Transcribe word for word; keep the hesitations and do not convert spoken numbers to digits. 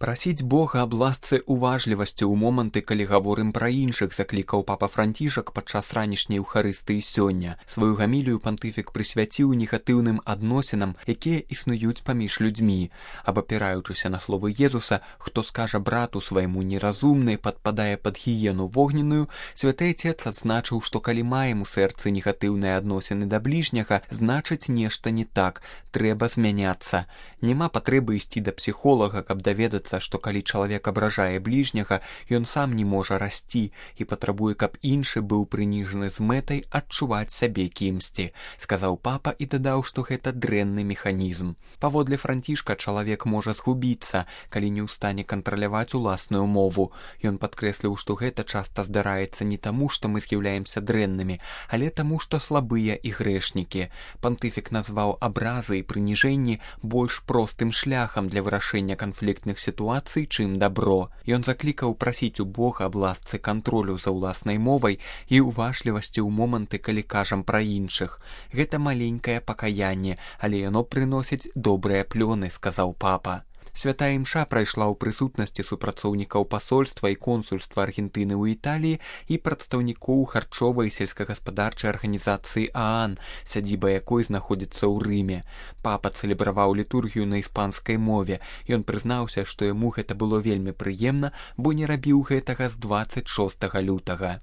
Прасіць Бога аб ласцы уважлівасці ў моманты, калі гаворым пра іншых, заклікаў папа Францішак падчас ранішняй Еўхарыстыі сёння. Сваю гамілію пантыфік прысвяціў негатыўным адносінам, якія існуюць паміж людзьмі. Абапіраючыся на словы Езуса, хто скажа брату свайму неразумны, падпадае пад гіену вогненную, святы Отец адзначыў, што калі маем у сэрцы негатыўныя адносіны да бліжняга, значыць нешта не так, трэба змяняцца. Няма патрэбы ісці да псіхолага, каб даведацца, што калі чалавек абражае бліжняга, ён сам не можа расці і патрабуе, каб іншы быў прыніжаны з мэтай адчуваць сябе кімсьці, сказаў папа і дадаў, што гэта дрэнны механізм. Паводле Францішка чалавек можа згубіцца, калі не ў стане кантраляваць уласную мову. Ён падкрэсліў, што гэта часта здараецца не таму, што мы з'яўляемся дрэннымі, але таму, што слабыя і грэшнікі. Пантыфік назваў абразы і прыніжэнні больш простым шляхам для вырашэння канфліктных сітуацый, чым дабро. Ён заклікаў прасіць у Бога аб ласцы кантролю за ўласнай мовай і уважлівасці ў моманты, калі кажам пра іншых. Гэта маленькае пакаянне, але яно прыносіць добрыя плёны, сказаў папа. Святая імша прайшла ў прысутнасці супрацоўнікаў пасольства і консульства Аргентыны ў Італіі і прадстаўнікоў харчовай і сельскагаспадарчай арганізацыі ААН, сядзіба якой знаходзіцца ў Рыме. Папа цэлебраваў літургію на іспанскай мове. Ён прызнаўся, што яму гэта было вельмі прыемна, бо не рабіў гэтага з дваццаць шостага лютага.